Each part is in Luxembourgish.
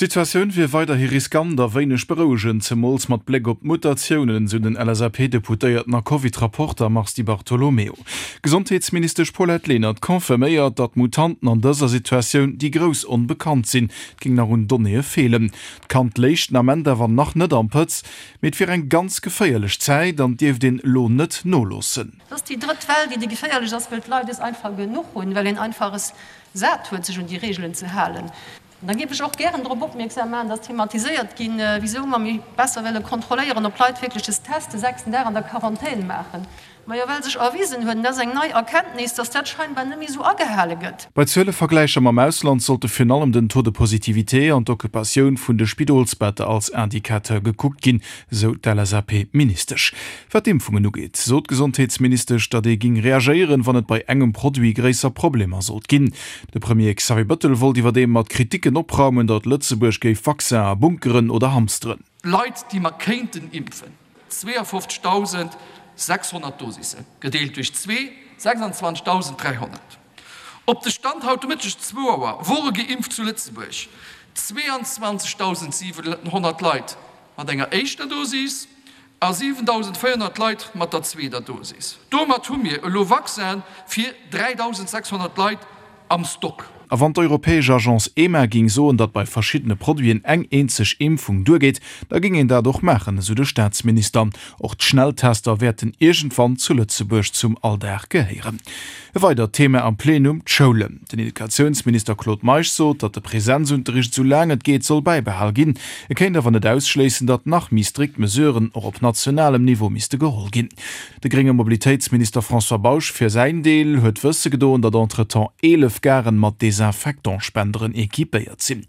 D'Situatioun wier weiderhi riskant a wéineg berouegend, zemools mat Bléck op d'Mutatiounen, esou den LSAP-Deputéierten a Covid-Rapporter Mars Di Bartolomeo. D'Gesondheetsministesch Paulette Lenert confirméiert, datt d'Mutanten an dëser Situatioun déi grouss Onbekannt sinn. Et géing nach un Donnéeë feelen. D'Kand léich den Ament awer nach net am Pëtz, mee et wier eng ganz geféierlech Zäit an dierft een elo net noloossen. Et ass déi drëtt Well, déi déi geféierlech ass, well d'Leit es einfach genuch hunn, well een einfach es sat huet, sech un déi Reegelen ze halen. An da géif ech och gären drop opmierksam maachen, dass thematiséiert ginn, wisou mer méi besser wëlle kontrolléieren, ob d'Leit wierklech des Test de sechsten Dag an der Quarantän maachen. Majo, well sech erwisen huet, an dat ass eng nei Erkenntnis, dass dat scheinbar net méi esou agehale gëtt. Bei Zuelevergläicher mam Ausland sollte virun allem den Taux de positivité an d'Occupatioun vun de Spidolsbetter als Indicateur gekuckt ginn, sou d'LSAP-Ministesch. Wat d'Impfungen ugeet, sot d'Gesondheetsministesch, datt ee géing reagéieren, wann et bei engem Produit gréisser Problemer sollt ginn. De Premier Xavier Bëttel wollt iwwerdeem mat Kriticken opraumen, datt Lëtzebuerg géif Vaccinen bunkeren oder hamsteren. Leit, déi mer kéinten impfen, 52.600 Dosissen, gedeelt duerch zwee, 26.300. Op de Stand haut de Mëtteg zwou Auer wore geimpft zu Lëtzebuerg 22.700 Leit mat enger éischter Dosis a 7.400 Leit mat der zweeter Dosis. Domat hu mir elo Vaccine fir 3.600 Leit am Stock. A wann d'europäesch Agence EMA géing soen, datt bei verschiddene Produiten eng eenzeg Impfung duergeet, da géing een dat och maachen, esou de Staatsminister. Och d'Schnelltester wäerten iergendwann zu Lëtzebuerg zum Alldag gehéieren. E weidert Thema am Plenum, d'Schoulen. Den Educatiounsminister Claude Meisch sot, datt de Presenzunterricht esou laang et geet soll bäibehal ginn. E kéint awer net ausschléissen, datt nach méi strikt Mesuren och op nationalem Niveau misste geholl ginn. De grénge Mobilitéitsminister François Bausch fir säin Deel huet wësse gedoen, datt entretemps 11 Garen mat Desinfectantspenderen equipéiert sinn.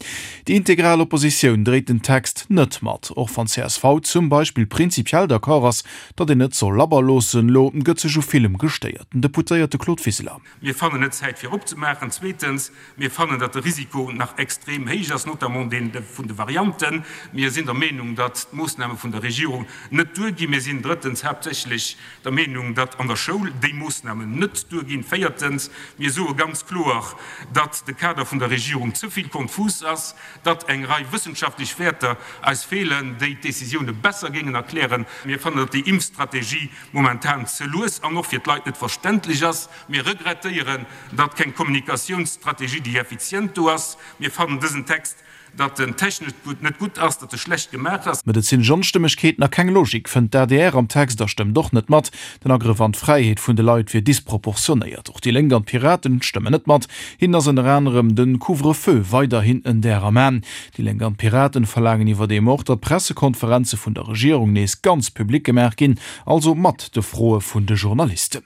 Déi integral Oppositioun dréit den Text net mat, och wann csv zum Beispill prinzipiell d'accord ass, Datt een et soll labber loossen, lo gëtt sech u villem gestéiert. Den Deputéierte Claude Wiseler. Mir fannen net Zäit fir opzemaachen. Zweetens, mir fannen, datt de Risiko nach extrem héich ass, notamment dee vun de Varianten. Mir sinn der Meenung, datt d'Moossname vun der Regierung net duerginn. Mir sinn drëttens haaptsächlech der Meenung, datt an der Schoul déi Moossnamen net duerginn. Véiertens, mir soe ganz kloer, datt de Kader vun der Regierung ze vill konfus ass, datt eng Rei wëssenschaftlech Wäerter eis feelen, déi d'Décisioune besser géingen erklären. Mir fannen, datt déi Impfstrategie momentan ze lues an och fir d'Leit net verständlech ass. Mir regrettéieren, datt keng Kommunikatiounsstrategie, déi effizient do ass. Mir fannen dësen Text, datt en technesch net gutt ass, datt e schlecht gemaach ass. Medezinesch Onstëmmegkeeten a keng Logik fënnt d'ADR am Text a stëmmt och net mat. Den Agrëff an d'Fräiheet vun de Leit wier disproportionéiert. Och déi Lénk an d'Piraten stëmmen net mat. Hinnen ass ënner anerem de Couvre-feu weiderhin en Där am Aen. Déi Lénk an d'Piraten verlaangen iwwerdeem och, datt d'Pressekonferenze vun der Regierung nees ganz public gemaach ginn, also mat de Froe vun de Journalisten.